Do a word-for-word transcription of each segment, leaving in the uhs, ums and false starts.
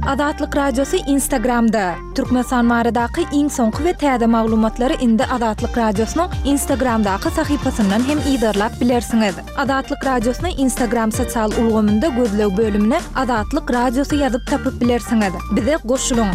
Azatlyk Radiosy Instagramda. Türkmenistan baradaky iň soňky we täze maglumatlary indi Azatlyk Radiosynyň Instagramdaky sahypasyndan hem yzarlap bilersiňiz. Azatlyk Radiosyny Instagram sosial ulgamynda gözleg bölümine Azatlyk Radiosy ýazyp tapyp bilersiňiz. Bize goşulyň.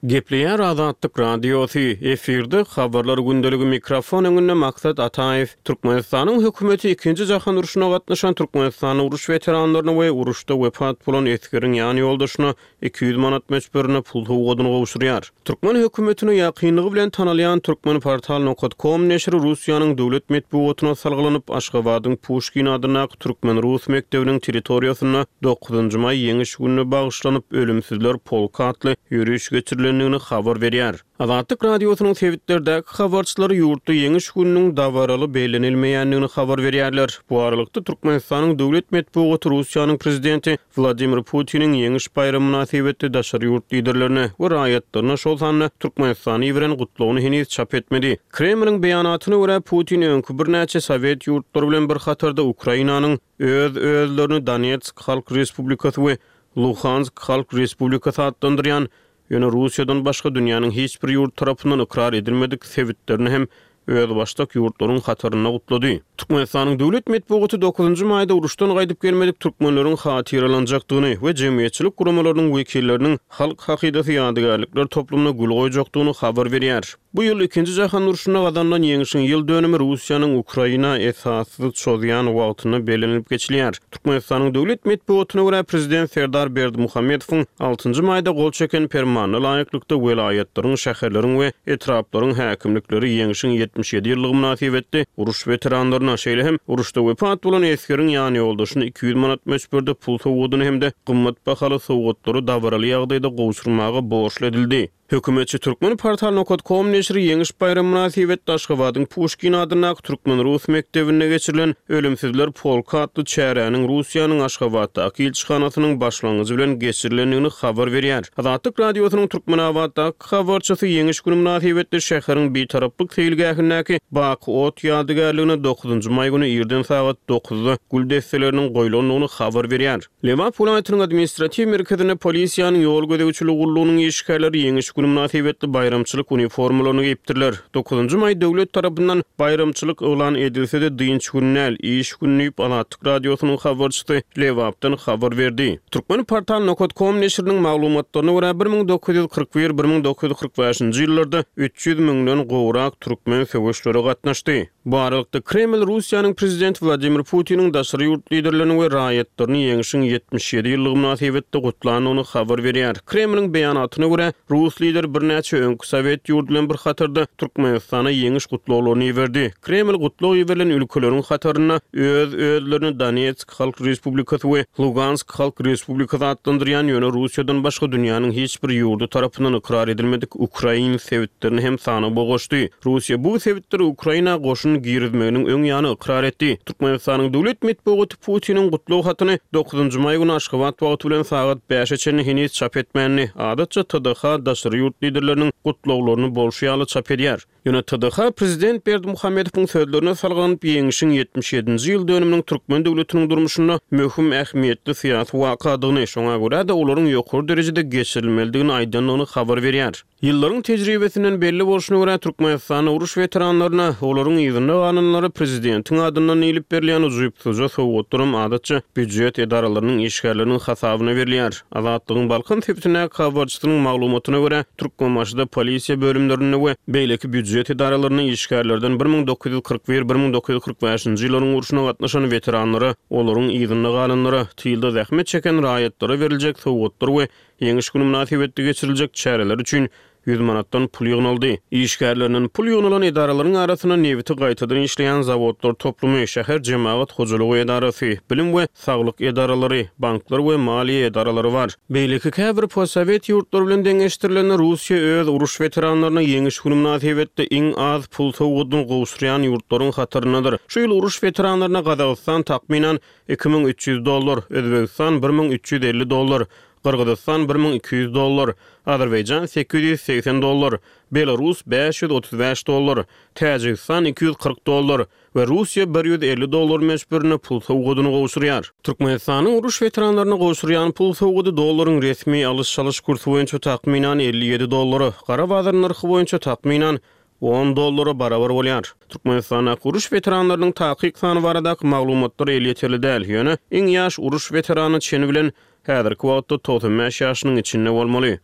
Gepleýär Azatlyk Radiosy, efirde habarlar gündeligi mikrofon öňünde Maksat Ataýew. Türkmenistanyň hökümeti ikinji jahan urşuna gatnaşan Türkmenistanyň uruş weteranlaryna we uruşda wepat bolan esgeriň ýan ýoldaşyna iki ýüz manat möçberinde pul sowgadyny gowşurýar. Türkmen hökümetine ýakynlygy bilen tanalýan Türkmenportal nokat kom neşiri Russiýanyň döwlet metbugatyna salgylanyp, Aşgabadyň Puşkin adyndaky türkmen-rus mekdebiniň territoriýasynda dokuzynjy maý ýeňiş gününe bagyşlanyp, Ölümsizler polky atly ýöriş geçirilendigini habar berýär. Azatlyk Radiosynyň sebitlerdäki habarçylary ýurtda ýeňiş gününiň dabaraly bellenilmeýändigini habar berýärler. Bu aralykda Türkmenistanyň döwlet metbugaty Russiýanyň prezidenti Wladimir Putiniň ýeňiş baýramy mynasybetli daşary ýurt liderlerine we raýatlaryna, şol sanda Türkmenistana iberen gutlagyny heniz çap etmedi. Kremliň beýanatyna görä, Putin öňki birnäçe sowet ýurtlary bilen bir hatarda Ukrainanyň öz-özlerini Donetsk Halk Respublikasy we Luhansk Halk Respublikasy atlandyrýan, ýöne Russiýadan başga dünýäniň hiç bir ýurt tarapyndan ykrar edilmedik sebitlerini hem özbaşdak ýurtlaryň hatarynda gutlady. Türkmenistanyň döwlet metbugaty dokuzynjy maýda uruşdan gaýdyp gelmedik türkmenleriň hatyralanjakdygyny we jemgyýetçilik guramalarynyň wekilleriniň Halk hakydasy ýadygärlikler toplumyna gül goýjakdygyny habar berýär. Bu ýyl ikinji jahan urşunda gazanylan ýeňşiň ýyl dönümi Russiýanyň Ukraina esassyz çozýan wagtynda bellenilip geçilýär. Türkmenistanyň döwlet metbugatyna görä, prezident Serdar Berdimuhamedowyň altynjy maýda gol çeken permanyna laýyklykda welaýatlaryň, şäherleriň we etraplaryň häkimlikleri ýeňşiň ýetmiş ýedi ýyllygy mynasybetli uruş weteranlaryna, şeýle hem uruşda wepat bolan esgeriň ýanýoldaşyna iki ýüz manat möçberde pul sowgadyny hem-de gymmat bahaly sowgatlary dabaraly ýagdaýda gowşurmaga borçly edildi. Hökümetçi Türkmenportal nokat kom neşiri ýeňiş baýramy mynasybetli Aşgabadyň Puşkin adyndaky türkmen-rus mekdebinde geçirilen Ölümsizler polky atly çäräniň Russiýanyň Aşgabatdaky ilçihanasynyň başlangyjy bilen geçirilendigini habar berýär. Azatlyk Radiosynyň Türkmenabatdaky habarçysy ýeňiş güni mynasybetli şäheriň Bitaraplyk seýilgähindäki Baky ot ýadygärligine dokuzynjy maý güni irden sagat dokuzda gül desseleriniň goýlandygyny habar berýär. Lebap welaýatynyň administratiw merkezinde polisiýanyň ýol gözegçiligi gullugynyň işgärleri ýeňiş güni mynasybetli baýramçylyk uniformalaryny geýipdirler. Dokuzynjy maý döwlet tarapyndan baýramçylyk yglan edilse-de dynç güni däl, iş güni diýip Azatlyk Radiosynyň habarçysy Lebapdan habar berdi. Türkmenportal nokat kom neşiriniň maglumatlaryna görä, bir müň dokuz ýüz kyrk bir, bir müň dokuz ýüz kyrk bäşinji ýyllarda üç ýüz müňden gowrak türkmen söweşlere gatnaşdy. Bu aralykda Kreml Russiýanyň prezidenti Wladimir Putiniň daşary ýurt liderlerini we raýatlaryny ýeňşiň ýetmiş ýedi ýyllygy mynasybetli gutlandygyny habar berýär. Kremliň beýanatyna görä, rus lideri birnäçe öňki sowet ýurdy bilen bir hatarda Türkmenistana ýeňiş gutlaglaryny iberdi. Kreml gutlag iberilen ülkeleriň hatarynda öz-özlerini Donetsk Halk Respublikasy we Lugansk Halk Respublikasy atlandyrýan, ýöne Russiýadan başga dünýäniň hiç bir ýurdy tarapyndan ykrar edilmedik ukrain sebitlerini hem sanawa goşdy. Russiýa bu sebitleri Ukraina goşun girizmeginiň öň ýany ykrar etdi. Türkmenistanyň döwlet metbugaty Putiniň gutlag hatyny dokuzynjy maý güni Aşgabat wagty bilen sagat bäşe çenli heniz çap etmändi. Adatça T D H daşary ýurt liderleriniň gutlaglaryny bolşy ýaly çap edýär. Ýöne T D H prezident Berdimuhamedowyň sözlerine salgylanyp, ýeňşiň ýetmiş ýedinji ýyl dönüminiň türkmen döwletiniň durmuşynda möhüm ähmiýetli syýasy wakadygyny, şoňa görä-de olaryň ýokary derejede geçirilmelidigini aýdandygyny habar berýär. Ýyllaryň tejribesinden belli bolşuna görä, Türkmenistanda uruş weteranlaryna, olaryň yzynda galanlara prezidentiň adyndan diýlip berilýän ujypsyzja sowgatlaram adatça býujet edaralarynyň işgärleriniň hasabyna berilýär. Azatlygyň Balkan sebitindäki habarçysynyň maglumatyna görä, Türkmenbaşyda polisiýa bölümlerinde we beýleki býujet edaralarynda işgärlerden bir müň dokuz ýüz kyrk bir, bir müň dokuz ýüz kyrk bäşinji ýyllaryň urşuna gatnaşan weteranlara, olaryň yzynda galanlara, tylda zähmet çeken raýatlara beriljek sowgatlar we ýeňiş günü mynasybetli geçiriljek çäreler üçin ýüz manatdan pul ýygnaldy. Işgärlerinden pul ýygnalan edaralaryň arasynda nebiti gaýtadan işleýän zawodlar toplumy, şäher jemagat hojalygy edarasy, bilim we saglyk edaralary, banklar we maliýe edaralary bar. Beýleki käbir postsowet ýurtlary bilen deňeşdirilende Russiýa öz uruş weteranlaryna ýeňiş günü mynasybetli iň az pul sowgadyny gowşurýan ýurtlaryň hataryndadyr. Şu ýyl uruş weteranlaryna Gazagystan takmynan iki müň üç ýüz dollar, Özbegistan bir müň üç ýüz elli dollar, Gyrgyzystan bir müň iki ýüz dollar, Azerbaýjan sekiz ýüz segsen dollar, Belarus bäş ýüz otuz bäş dollar, Täjigistan iki ýüz kyrk dollar we Russiýa bir ýüz elli dollar möçberinde pul sowgadyny gowşurýar. Türkmenistanyň uruş weteranlaryna gowşurýan pul sowgady dollaryň resmi alyş-çalyş kursy boýunça takmynan elli ýedi dollara, gara bazar nyrhy boýunça takmynan on dollara barabar bolýar. Türkmenistandaky uruş weteranlarynyň takyk sany baradaky maglumatlar elýeterli däl, ýöne iň ýaş uruş weterany çeni bilen häzirki wagtda togsan bäş ýaşynyň içinde bolmaly.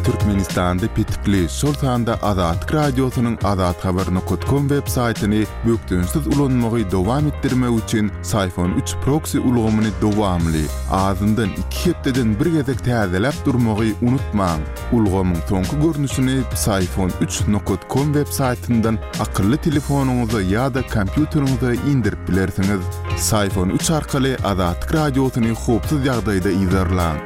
Türkmenistanda petikli, şol sanda Azatlyk Radiosynyň azathabar nokta com web saýtyny bökdençsiz ulanmagy dowam etdirmek üçin Syfon üç proksi ulgamyny dowamly, azyndan iki hepdeden bir gezek täzeläp durmagy unutmaň. Ulgamyň soňky görnüşini Syfon üç nokta com web saýtyndan akylly telefonyňyza ýa-da kompýuteriňize indirip bilersiňiz. Syfon üç arkaly Azatlyk Radiosyny howpsuz ýagdaýda yzarlaň.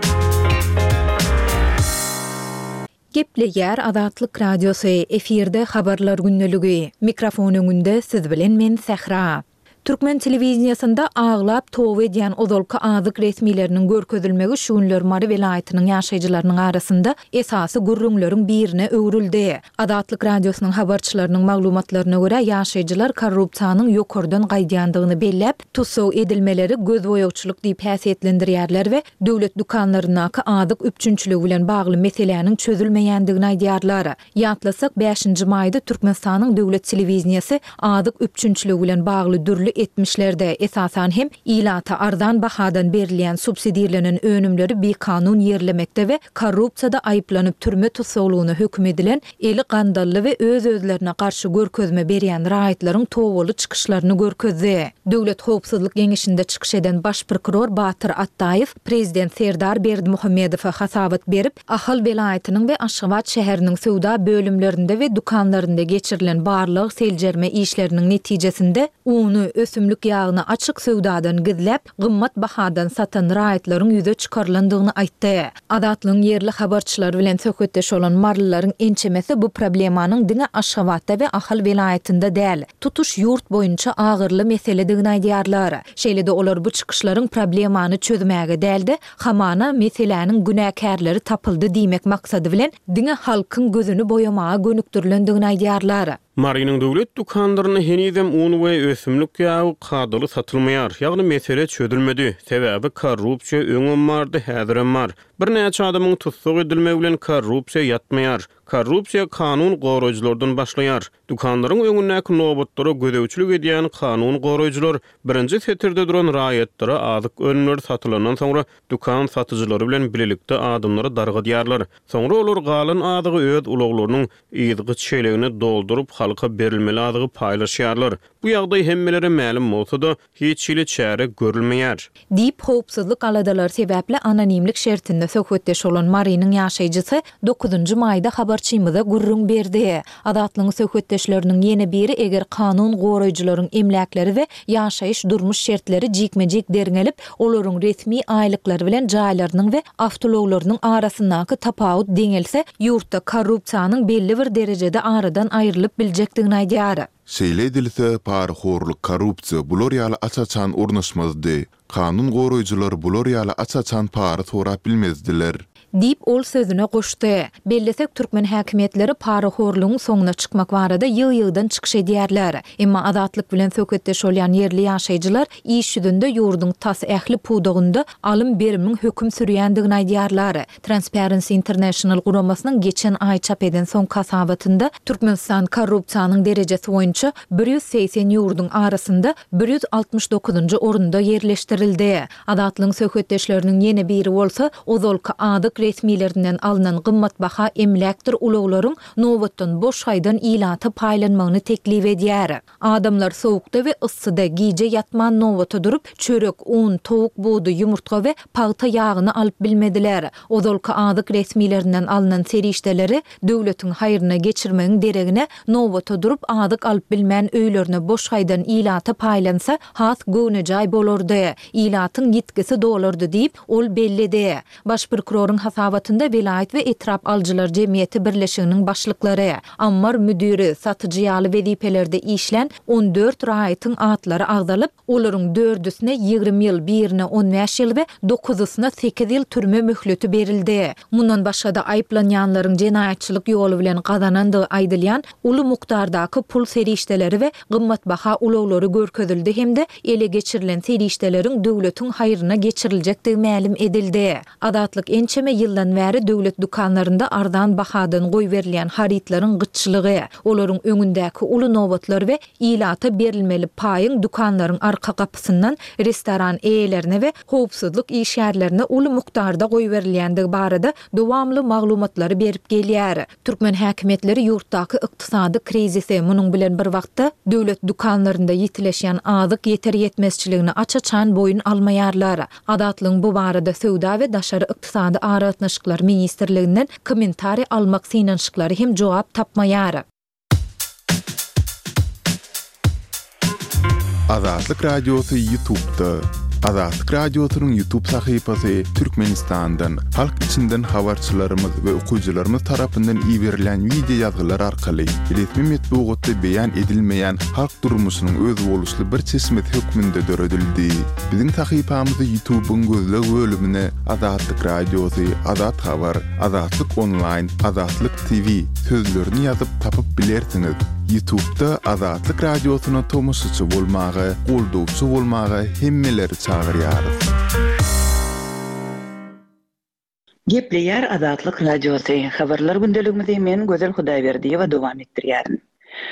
Gepleýär Azatlyk Radiosy, efirde habarlar gündeligi. Mikrofon öňünde siz bilen men Sähra. Türkmen telewiziyasynda aglap towa edýän ozalky azyk resmileriniň görkezilmegi şu günler Mary welaýatynyň ýaşaýjylarynyň arasynda esasy gürrüňleriň birine öwrüldi. Azatlyk Radiosynyň habarçylarynyň maglumatlaryna görä ýaşaýjylar korrupsiýanyň ýokardan gaýdýandygyny belläp, tussag edilmeleri gözboýagçylyk diýip häsiýetlendirýärler we döwlet dükanlaryndaky azyk üpjünçiligi bilen bagly meseläniň çözülmeýändigini aýdýarlar. Ýatlasak, bäşinji maýda Türkmenistanyň döwlet telewiziyasy azyk üpjünçiligi bilen bagly dürli etmişlerde, esasan hem ilata arzan bahadan berilýän subsidirlenen önümleri bikanun ýerlemekde we korrupsiýada aýyplanyp türme tussaglygyna höküm edilen eli gandally we öz-özlerine garşy görkezme berýän raýatlaryň towaly çykyşlaryny görkezdi. Döwlet Howpsuzlyk Geňeşinde çykyş eden baş prokuror Batyr Atdaýew prezident Serdar Berdimuhamedowa hasabat berip, Ahal welaýatynyň we Aşgabat şäheriniň söwda bölümlerinde we dükanlarynda geçirilen barlyk seljerme işleriniň netijesinde uny ösümlik ýagyny açyk söwdadan gizläp, gymmat bahadan satan raýatlaryň ýüze çykarylandygyny aýtdy. Azatlygyň ýerli habarçylary bilen söhbetdeş bolan marylylaryň ençemesi bu problemanyň diňe Aşgabatda we Ahal welaýatynda däl, tutuş ýurt boýunça agyrly meseledigini aýdýarlar. Şeýle-de olar bu çykyşlaryň problemany çözmäge däldi, hamana meseläniň günäkärleri tapyldy diýmek maksady bilen diňe halkyň gözüni boýamaga gönükdirilendigini aýdýarlar. Marynyň döwlet dükanlarynda henizem un we ösümlik ýagy kadaly satylmaýar. Ýagny mesele çözülmedi. Sebäbi korrupsiýa öňem bardy, häzirem bar. Birnäçe adamyň tussag edilmegi bilen korrupsiýa ýatmaýar. Korrupsiýa kanun goraýjylardan başlaýar. Dükanlaryň öňündäki nobatlara gözegçilik edýän kanun goraýjylar birinji setirde duran raýatlara azyk önümleri satylandan soňra dükan satyjylary bilen birlikde adamlary dargadýarlar. Soňra olar galan azygy öz ulaglarynyň ýygy çelegine dolduryp halka berilmeli azygy paýlaşýarlar. Bu ýagdaý hemmelere mälim bolsa-da hiç hili çäre görülmeýär. Diýip howpsuzlyk aladalary sebäpli anonimlik şertinde söhbetdeş bolan Marynyň ýaşaýjysy dokuzynjy maýda habarçymyza gürrüň berdi. Azatlygyň söhbetdeşleriniň ýene biri eger kanun goraýjylaryň emläkleri we ýaşaýyş durmuş şertleri jikme-jik derňelip, olaryň resmi aýlyklary bilen jaýlarynyň we awtoulaglarynyň arasyndaky tapawut deňelse, ýurtda korrupsiýanyň belli bir derejede aradan aýrylyp biljekdigini aýdýar. Şeýle edilse, parahorluk, korrupsiýa bular ýaly aç-açan ornaşmazdy. Kanun goraýjylar bular ýaly aç-açan para sorap bilmezdiler. Diýip ol sözüne goşdy. Bellesek türkmen häkimiýetleri parahorlugyň soňuna çykmak barada ýygy-ýygydan çykyş edýärler. Emma Azatlyk bilen söhbetdeş bolýan ýerli ýaşaýjylar iş ýüzünde ýurduň tas ähli pudagynda alym berimiň höküm sürýändigini aýdýarlar. Transparency International guramasynyň geçen aý çap eden soňky hasabatynda Türkmenistan korrupsiýanyň derejesi boýunça bir ýüz segsen ýurduň arasynda bir ýüz altmyş dokuzynjy orunda ýerleşdirildi. Azatlygyň söhbetdeşleriniň ýene biri bolsa, ozalky azyk resmilerinden alynan gymmatbaha emläkdir ulaglaryň nobatdan boş gaýdan ilata paýlanmagyny teklip edýär. Adamlar sowukda we yssyda gije ýatman nobata durup, çörek, un, towuk budy, ýumurtga we pagta ýagyny alyp bilmediler. Ozalky azyk resmilerinden alynan serişdeleri döwletiň haýryna geçirmegiň deregine nobata durup azyk alyp bilmän öýlerine boş gaýdan ilata paýlansa, has göwnejaý bolardy. Ilatyň ýitgisi dolardy diýip, ol belledi. Baş prokuroryň hasabatynda welaýat we etrap alyjylar jemgyýeti birleşiginiň başlyklary, ammar müdiri, satyjy ýaly wezipelerde işlän on dört raýatyň atlary agzalyp, olaryň dördüsine ýigrimi ýyl, birine on bäş ýyl we dokuzysyna sekiz ýyl türme möhleti berildi. Mundan başga-da, aýyplanýanlaryň jenaýatçylyk ýoly bilen gazanandygy aýdylýan uly mukdardaky pul serişdeleri we gymmatbaha ulaglary görkezildi hem-de ele geçirilen serişdeleriň döwletiň haýryna geçiriljekdigi mälim edildi. Azatlyk ençeme ýyldan bäri döwlet dükanlarynda arzan bahadan goýberilýän harytlaryň gytçylygy, olaryň öňündäki uly nobatlar we ilata berilmeli paýyň dükanlaryň arka gapysyndan restoran eýelerine we howpsuzlyk işgärlerine uly mukdarda goýberilýändigi barada dowamly maglumatlary berip gelýär. Türkmen häkimiýetleri ýurtdaky ykdysady krizisi, munuň bilen bir wagtda, döwlet dükanlarynda ýitileşýän azyk ýeter-ýetmezçiligini aç-açan boýun almaýarlar. Azatlygyň bu barada Söwda we daşary ykdysady aragatnaşyklar ministrliginden kommentariý almak synanyşyklary hem jogap tapmaýar. Azatlyk Radiosy YouTube'da. Azatlyk Radiosynyň YouTube sahypasy Türkmenistandan, halk içinden habarçylarymyz we okyjylarymyz tarapyndan iberilen wideo ýazgylar arkaly resmi metbugatda beýan edilmeýän halk durmuşynyň özboluşly bir çeşmesi hökmünde döredildi. Biziň sahypamyzy YouTube'yň gözleg bölümine Azatlyk Radiosy, Azat Habar, Azatlyk Online, Azatlyk T V sözlerini ýazyp tapyp bilersiňiz. YouTube'da Azatlyk Radiosyna tomaşaçy bolmaga, goldawçy bolmaga hemmeleri çagyrýarys. Gepleýär Azatlyk Radiosy. Habarlar gündeligimizi men Gözel Hudaýberdiýewa dowam etdirýärin.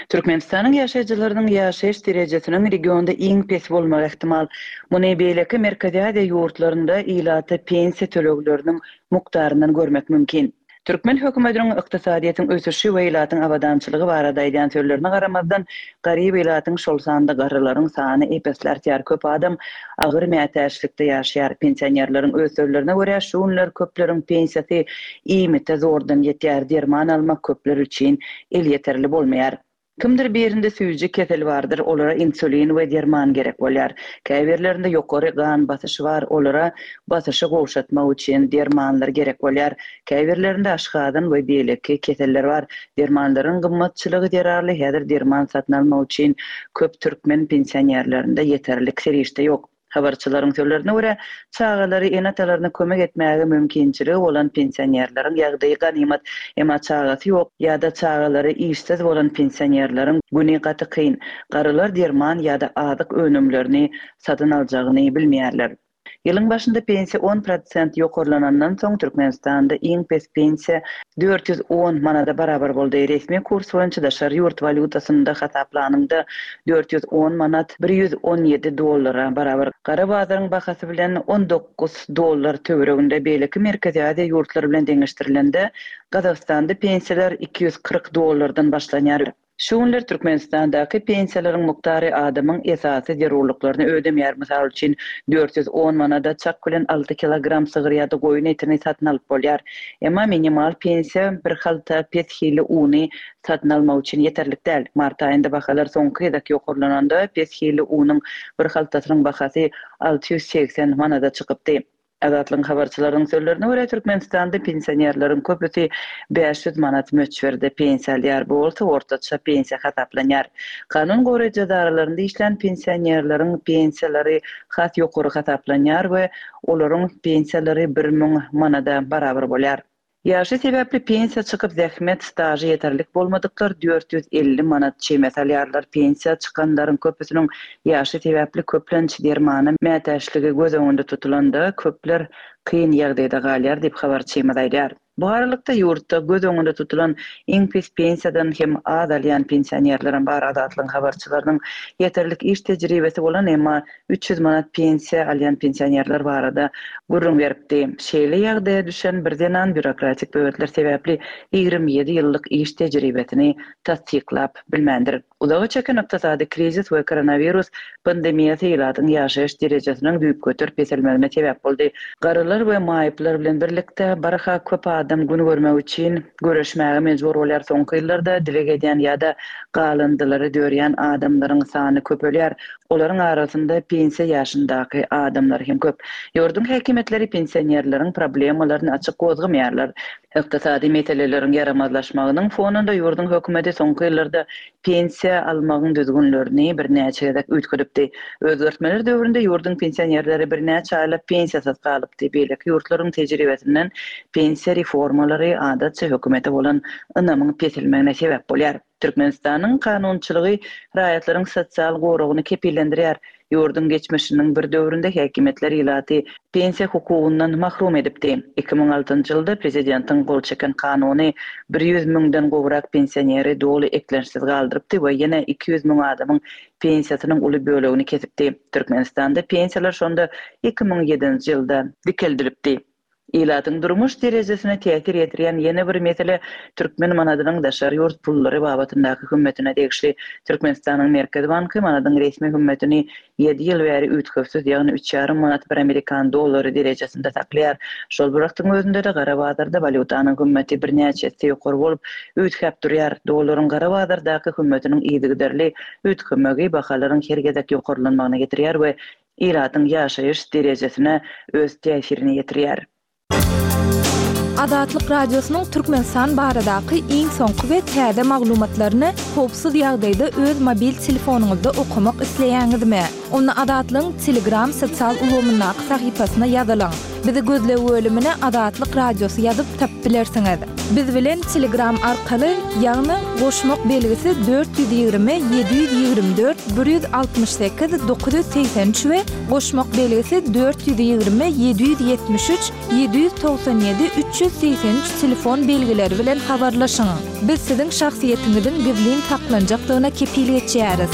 Türkmenistanyň ýaşaýjylarynyň ýaşaýyş derejesiniň regionda iň pes bolmagy ähtimal. Muny beýleki Merkezi Aziýa ýurtlarynda ilata pensiýa tölegleriniň mukdaryndan görmek mümkin. Türkmen hökümetiniň ykdysadyýetiň ösüşi we ilatyň abadançylygy barada aýdýan sözlerine garamazdan, garyp ilatyň, şol sanda garrylaryň sany ep-esli artýar. Köp adam agyr mätäçlikde ýaşaýar. Pensionerleriň öz sözlerine görä, şu günler köpleriň pensiýasy iýmite zordan ýetýär, derman almak köpler üçin elýeterli bolmaýar. Kimdir birinde süýji kesel bardyr, olara insulin we derman gerek bolýar. Käbirlerinde ýokary gan basyşy bar, olara basyşy gowşatmak üçin dermanlar gerek bolýar. Käbirlerinde aşgazan we beýleki keseller bar. Dermanlaryň gymmatçylygy zerarly häzir derman satyn almak üçin köp türkmen pensionerlerinde ýeterlik serişde ýok. Habarçylaryň sözlerine görä, çagalary ene-atalaryna kömek etmäge mümkinçiligi bolan pensionerleriň ýagdaýy ganymat, emma çagasy ýok ýa-da çagalary işsiz bolan pensionerleriň güni gaty kyn. Garrylar derman ýa-da azyk önümlerini satyn aljagyny bilmeýärler. Ýylyň başynda pensiýa on prosent ýokarlanandan soň Türkmenistanda iň pes pensiýa dört ýüz on manada barabar boldy. Resmi kurs boýunça daşary ýurt walýutasynda hasaplanynda dört ýüz on manat bir ýüz on ýedi dollara barabar. Gara bazaryň bahasy bilen on dokuz dollar töwereginde beýleki Merkezi Aziýa ýurtlary bilen deňeşdirilende Gazagystanda pensiýalar iki ýüz kyrk dollardan başlanýar. Şu günler Türkmenistandaky pensiýalaryň mukdary adamyň esasy zerurlyklaryny ödemeýär. Mysal üçin dört ýüz on manada çak bilen alty kilogram sygyr ýa-da goýun etini satyn alyp bolýar. Emma minimal pensiýa bir halta pes hili uny satyn almak üçin ýeterlik däl. Mart aýynda bahalar soňky gezek ýokarlananda pes hili unuň bir haltasynyň bahasy alty ýüz segsen manada çykypdy. Azatlygyň habarçylarynyň sözlerine görä, Türkmenistanda pensionerleriň köpüsi bäş ýüz manat möçberde pensiýa alýar. Bu bolsa ortaça pensiýa hasaplanýar. Kanun goraýjy edaralarynda işlän pensionerleriň pensiýalary has ýokary hasaplanýar we olaryň pensiýalary bir müň manada barabar bolýar. Ýaşy sebäpli pensiýa çykyp zähmet stažy ýeterlik bolmadyklar dört ýüz elli manat çemesi alýarlar. Pensiýa çykanlaryň köpüsiniň ýaşy sebäpli köplenç dermana mätäçligi göz öňünde tutulanda köpler kyn ýagdaýda galýar diýip habarçymyz aýdýar. Bu aralykda ýurtda göz öňünde tutulan iň pes pensiýadan hem az alýan pensionerleriň bar. Azatlygyň habarçylarynyň ýeterlik iş tejribesi bolan emma üç ýüz manat pensiýa alýan pensionerler barada gürrüň beripdi. Şeýle ýagdaýa düşen bir zenan býurokratik böwetler sebäpli ýigrimi ýedi ýyllyk iş tejribesini tassyklap bilmändir. Uzaga çeken ykdysady krizis we koronawirus pandemiýasy ilatyň ýaşaýyş derejesiniň düýpgöter peselmegine sebäp boldy. Garrylar Çagalar we maýyplar bilen birlikde barha köp adam gün görmek üçin göreşmäge mejbur bolýar. Soňky ýyllarda dileg edýän ýa-da galyndylary dörýän adamlaryň sany köpelýär. Olaryň arasynda pensiýa ýaşyndaky adamlar hem köp. Ýurduň häkimiýetleri pensionerleriň problemalaryny açyk gozgamaýarlar. Ykdysady meseleleriň ýaramazlaşmagynyň fonunda ýurduň hökümeti soňky ýyllarda pensiýa almagyň düzgünlerini birnäçe gezek üýtgedipdi. Özgertmeler döwründe ýurduň pensionerleri birnäçe aýlap pensiýasyz galypdy. Beýleki ýurtlaryň tejribesinden pensiýa reformalary adatça hökümete bolan ynamyň peselmegine sebäp bolýar. Türkmenistanyň kanunçylygy raýatlaryň sosial goragyny kepillendirýär. Ýurduň geçmişiniň bir döwründe häkimiýetler ilaty pensiýa hukugyndan mahrum edipdi. Iki müň altynjy ýylda prezidentiň gol çeken kanuny bir ýüz müňden gowrak pensioneri doly eklençsiz galdyrypdy we ýene iki ýüz müň adamyň pensiýasynyň uly bölegini kesipdi. Türkmenistanda pensiýalar şonda iki müň ýedinji ýylda dikeldilipdi. Ilatyň durmuş derejesine täsir ýetirýän ýene bir mesele türkmen manadynyň daşary ýurt pullary babatyndaky hümmetine degişli. Türkmenistanyň Merkezi banky manadyň resmi hümmetini ýedi ýyl bäri üýtgewsiz, ýagny üç ýarym manat bir amerikan dollary derejesinde saklaýar. Şol bir wagtyň özünde-de gara bazarda walýutanyň hümmeti birnäçe esse ýokary bolup, üýtgäp durýar. Dollaryň gara bazardaky hümmetiniň yzygiderli üýtgemegi bahalaryň her gezek ýokarlanmagyna getirýär we ilatyň ýaşaýyş derejesine öz täsirini ýetirýär. Azatlyk Radiosynyň Türkmenistan baradaky iň soňky we täze maglumatlaryny howpsuz ýagdaýda öz mobil telefonyňyzda okamak isleýäňizmi? Onda Azatlygyň Telegram sosial ulgamyndaky sahypasyna ýazylyň. Bizi gözleg bölümine Azatlyk Radiosy ýazyp tapyp bilersiňiz. Biz bilen Telegram arkaly, ýagny goşmak belgisi dört ýüz ýigrimi ýedi ýüz ýigrimi dört bir ýüz altmyş sekiz dokuz ýüz segsen üç we goşmak belgisi dört ýüz ýigrimi ýedi ýüz ýetmiş üç ýedi ýüz togsan ýedi üç ýüz segsen üç telefon belgileri bilen habarlaşyň. Biz siziň şahsyýetiňiziň gizlin saklanjakdygyna kepil geçýäris.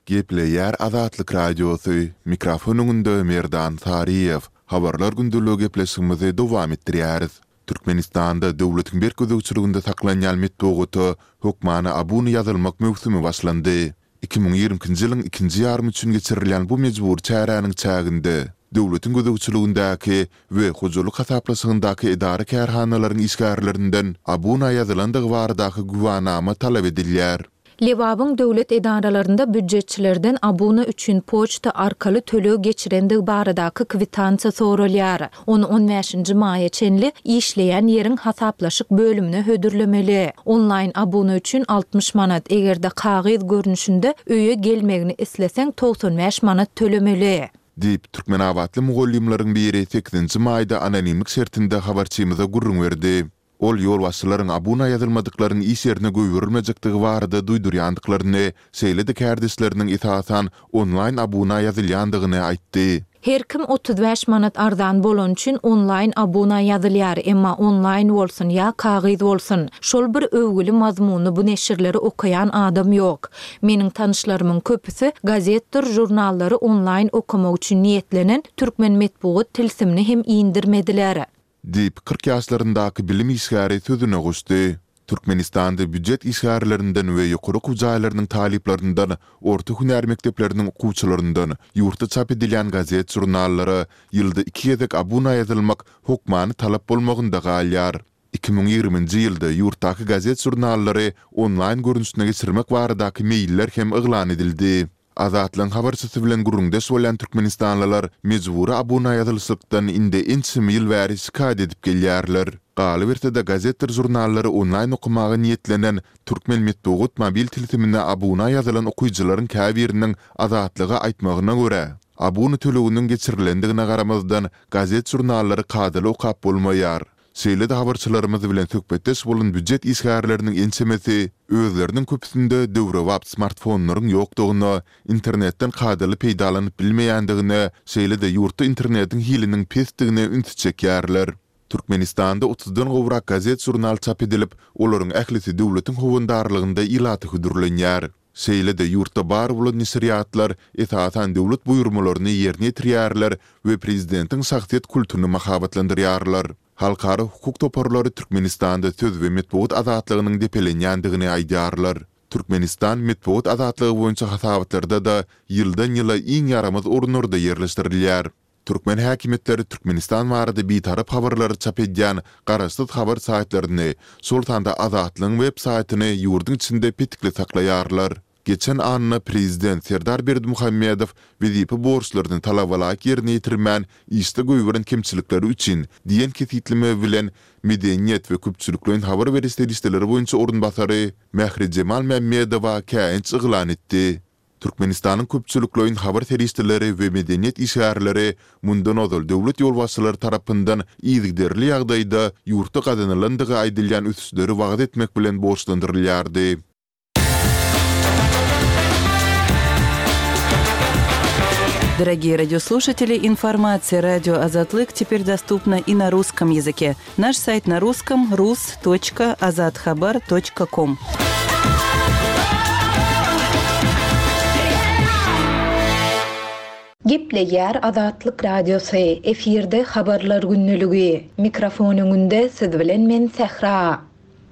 Gepleýär Azatlyk Radiosy, mikrofon öňünde Merdan Saryýew. Habarlar gündeligi gepleşigimizi dowam etdirýäris. Türkmenistanda döwletiň berk gözegçiliginde saklanýan metbugata hökmany abuna ýazylmak möwsümi başlandy. Iki müň ýigrimi ikinji ýylyň ikinji ýarymy üçin geçirilýän bu mejbury çäräniň çäginde döwletiň gözegçiligindäki we hojalyk hasaplaşygyndaky edara-kärhanalaryň işgärlerinden abuna ýazylandygy baradaky güwänama talap edilýär. Lebabyň döwlet edaralarynda býujetçilerden abuna üçin poçta arkaly töleg geçirendigi baradaky kwitansiýa soralýar. Ony on bäşinji maýa çenli işleýän ýeriň hasaplaşyk bölümine hödürlemeli. Onlaýn abuna üçin altmyş manat, eger-de kagyz görnüşinde öýe gelmegini isleseň togsan bäş manat tölemeli. Diýip, türkmenabatly mugallymlaryň biri sekizinji maýda anonimlik şertinde habarçymyza gürrüň berdi. Ol ýolbaşçylaryň abuna ýazylmadyklaryň iş ýerine goýberilmejekdigi barada duýdurýandyklaryny, şeýle-de kärdeşleriniň esasan onlaýn abuna ýazylýandygyny aýtdy. Her kim otuz bäş manat arzan bolany üçin onlaýn abuna ýazylýar, emma onlaýn bolsun ýa kagyz bolsun, şol bir öwgüli mazmunly bu neşirleri okaýan adam ýok. Meniň tanyşlarymyň köpüsi gazetdir žurnallary onlaýn okamak üçin niýetlenen türkmen metbugat tilsimini hem indirmediler. Diýip, kyrk ýaşlaryndaky bilim işgäri sözüne goşdy. Türkmenistanda býujet işgärlerinden we ýokary okuw jaýlarynyň talyplaryndan, orta hünär mekdepleriniň okuwçylaryndan ýurtda çap edilýän gazet-žurnallara ýylda iki gezek abuna ýazylmak hökmany talap bolmagynda galýar. Iki müň ýigriminji ýylda ýurtdaky gazet-žurnallary onlaýn görnüşine geçirmek baradaky meýiller hem yglan edildi. Azatlygyň habarçysy bilen gürrüňdeş bolýan türkmenistanlylar mejbury abuna ýazylyşykdan indi ençeme ýyl bäri şikaýat edip gelýärler. Galyberse-de gazetdir žurnallary onlaýn okamaga niýetlenen Türkmen metbugat mobil tilsimine abuna ýazylan okyjylaryň käbiriniň Azatlyga aýtmagyna görä, abuna töleginiň geçirilendigine garamazdan gazet-žurnallary kadaly okap bolmaýar. Şeýle-de habarçylarymyz bilen söhbetdeş bolan býujet işgärleriniň ençemesi özleriniň köpüsinde döwrebap smartfonlaryň ýokdugyna, internetden kadaly peýdalanyp bilmeýändigine, şeýle-de ýurtda internetiň hiliniň pesdigine ünsi çekýärler. Türkmenistanda otuzdan gowrak gazet-žurnal çap edilip, olaryň ählisi döwletiň howandarlygynda ilata hödürlenýär. Şeýle-de ýurtda bar bolan neşirýatlar esasan döwlet buýurmalaryny ýerine ýetirýärler we prezidentiň şahsyýet kultuny mahabatlandyrýarlar. Halkara hukuk toparlary Türkmenistanda söz we metbugat azatlygynyň depelenýändigini aýdýarlar. Türkmenistan metbugat azatlygy boýunça hasabatlarda-da ýyldan-ýyla iň ýaramaz orunlarda ýerleşdirilýär. Türkmen häkimiýetleri Türkmenistan barada bitarap habarlary çap edýän garaşsyz habar saýtlaryny, şol sanda Azatlygyň web saýtyny ýurduň içinde petikli saklaýarlar. Geçen anna prezident Serdar Berdimuhamedow wezipe borçlaryny talabalaýyk ýerine ýetirmän, işde goýberen kemçilikleri üçin diýen kesgitleme bilen medeniýet we köpçülikleýin habar beriş serişdeleri boýunça orunbasary Mährijemal Mämmedowa käýinç yglan etdi. Türkmenistanyň köpçülikleýin habar serişdeleri we medeniýet işgärleri mundan ozal döwlet ýolbaşçylary tarapyndan yzygiderli ýagdaýda ýurtda gazanylandygy aýdylýan ösüşleri wagyz etmek bilen borçlandyrylýardy. Дорогие радиослушатели, информация радио Азатлык теперь доступна и на русском языке. Наш сайт на русском rus.azathabar.com. Gepleýär Azatlyk Radiosy, efirde habarlar günlügi. Mikrofon öňünde siz bilen men Sähra.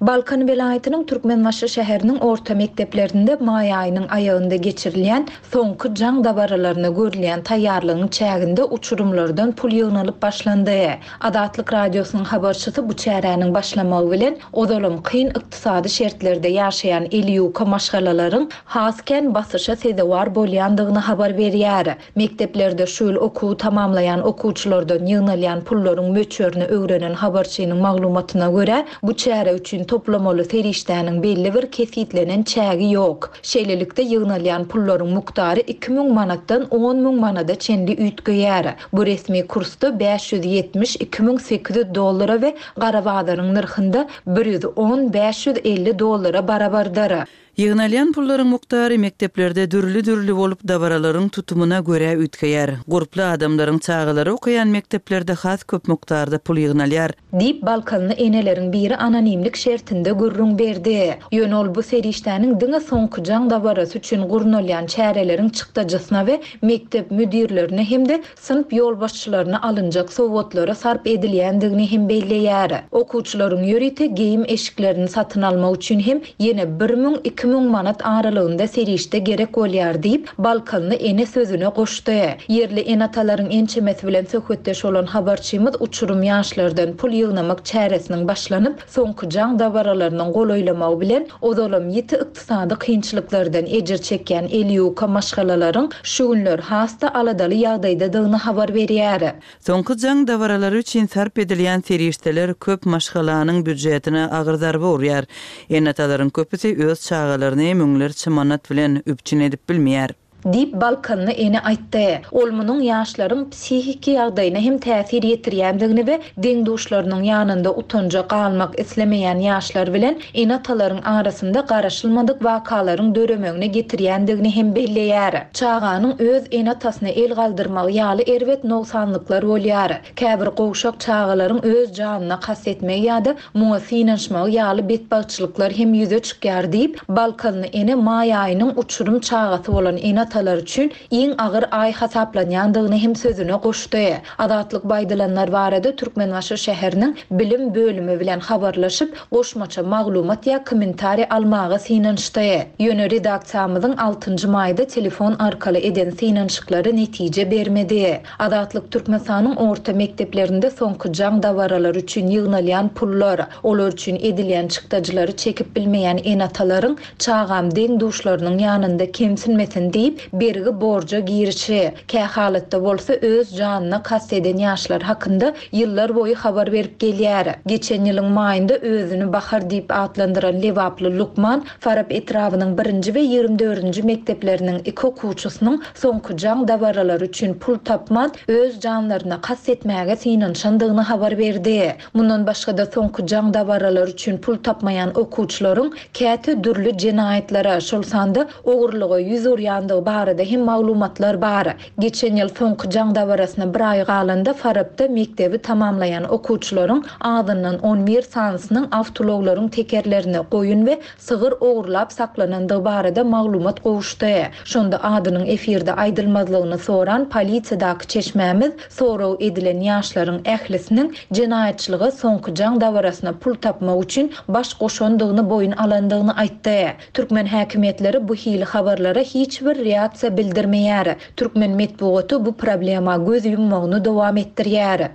Balkan welaýatynyň Türkmenbaşy şäheriniň orta mekdeplerinde maý aýynyň aýagynda geçirilýän soňky jaň dabaralaryna görülýän taýýarlygyň çäginde uçurymlardan pul ýygnalyp başlandy. Azatlyk Radiosynyň habarçysy bu çäräniň başlamagy bilen ozalam kyn ykdysady şertlerde ýaşaýan eli ýuka maşgalalaryň has kän basyşa sezewar bolýandygyny habar berýär. Mekdeplerde şu ýyl okuwy tamamlaýan okuwçylardan ýygnalýan pullaryň möçberini öwrenen habarçynyň maglumatyna görä, bu çäre üçin toplamaly serişdäniň belli bir kesitlenen çägi ýok. Şeýlelikde ýygnalýan pullaryň mukdary iki müň manatdan on müň manada çenli üýtgeýär. Bu resmi kursda bäş ýüz ýetmiş iki müň sekiz ýüz dollara we gara bazaryň nyrhynda bir ýüz on bäş ýüz elli dollara barabardyr. Ýygnalýan pullaryň mukdary mekdeplerde dürli-dürli bolup dabaralaryň tutumyna görä üýtgeýär. Gurply adamlaryň çagalary okaýan mekdeplerde has köp mukdarda pul ýygnalýar. Diýip Balkanly eneleriň biri anonimlik şertinde gürrüň berdi. Ýöne ol bu serişdäniň diňe soňky jaň dabarasy üçin gurnalýan çäreleriň çykdajysyna we mekdep müdirlerine hem-de synp ýolbaşçylaryna alynjak sowgatlara sarp edilýändigini hem belleýär. Okuwçylaryň ýörite geýim eşiklerini satyn almak üçin hem ýene bir müň iki müň manat aralygynda serişde gerek bolýar diýip Balkanly ene sözüne goşdy. Ýerli ene-atalaryň ençemesi bilen söhbetdeş bolan habarçymyz uçurum ýaşlardan pul ýygnamak çäresiniň başlanyp, soňky jaň dabaralarynyň golaýlamagy bilen ozalam ýiti ykdysady kynçylyklardan ejir çekýän eli ýuka maşgalalaryň şu günler has-da aladaly ýagdaýdadygyny habar berýär. Soňky jaň dabaralary üçin sarp edilýän serişdeler köp maşgalanyň býujetine agyr zarba urýar. Ene-atalaryň köpüsi öz çagalaryny müňlerçe manat bilen üpjün edip bilmeýär. Diýip Balkanly ene aýtdy. Ol munuň ýaşlaryň psihiki ýagdaýyna hem täsir ýetirýändigini we deň-duşlarynyň ýanynda utanja galmak islemeýän ýaşlar bilen ene-atalaryň arasynda garaşylmadyk wakalaryň döremegine getirýändigini hem belleýär. Çaganyň öz ene-atasyna el galdyrmagy ýaly erbet nogsanlyklar bolýar. Käbir gowşak çagalaryň öz janyna kast etmegi ýa-da muňa synanyşmagy ýaly betbagtçylyklar hem ýüze çykýar diýip Balkanly ene maý aýynyň uçurum çagasy bolan ene-atalar üçin iň agyr aý hasaplanýandygyny hem sözüne goşdy. Azatlyk baýdylanlar barada Türkmenbaşy şäheriniň bilim bölümi bilen habarlaşyp, goşmaça maglumat ýa kommentariý almaga synanyşdy. Ýöne redaksiýamyzyň altynjy maýda telefon arkaly eden synanyşyklary netije bermedi. Azatlyk Türkmenistanyň orta mekdeplerinde soňky jaň dabaralary üçin ýygnalýan pullar, olar üçin edilýän çykdajylary çekip bilmeýän ene-atalaryň çagam deň-duşlarynyň ýanynda kemsinmesin diýip bergi borja girişi, kä halatda bolsa öz janyna kast eden ýaşlar hakynda ýyllar boýy habar berip gelýär. Geçen ýylyň maýynda özüni Bahar diýip atlandyran Lebaply Lukman Farap etrabynyň birinji we ýigrimi dördünji mekdepleriniň iki okuwçysynyň soňky jaň dabaralary üçin pul tapman öz janlaryna kast etmäge synanyşandygyny habar berdi. Mundan başga-da soňky jaň dabaralary üçin pul tapmaýan okuwçylaryň käte dürli jenaýatlara, şol sanda ogurlyga ýüz urýandygy barada hem maglumatlar bar. Geçen ýyl soňky jaň dabarasyna bir aý galanda Farapda mekdebi tamamlaýan okuwçylaryň azyndan on bir sanysynyň awtoulaglaryň tekerlerini goýun we sygyr ogurlap saklanandygy barada maglumat gowuşdy. Şonda adynyň efirde aýdylmazlygyny soran polisiýadaky çeşmämiz sorag edilen ýaşlaryň ählisiniň jenaýatçylyga soňky jaň dabarasyna pul tapmak üçin baş goşandygyny boýun alandygyny aýtdy. Türkmen häkimiýetleri bu hili habarlara hiç bir reaksiýa bildirmeýär. Türkmen metbugaty bu problema göz ýummagyny dowam etdirýär.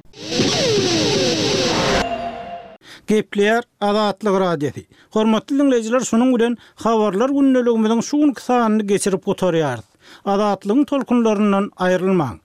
Gepleýär Azatlyk Radiosy. Hormatly dinleýjiler, şunuň bilen habarlar gündeligimiziň şu günki sanyny geçirip gutarýarys. Azatlygyň tolkunlaryndan aýrylmaň.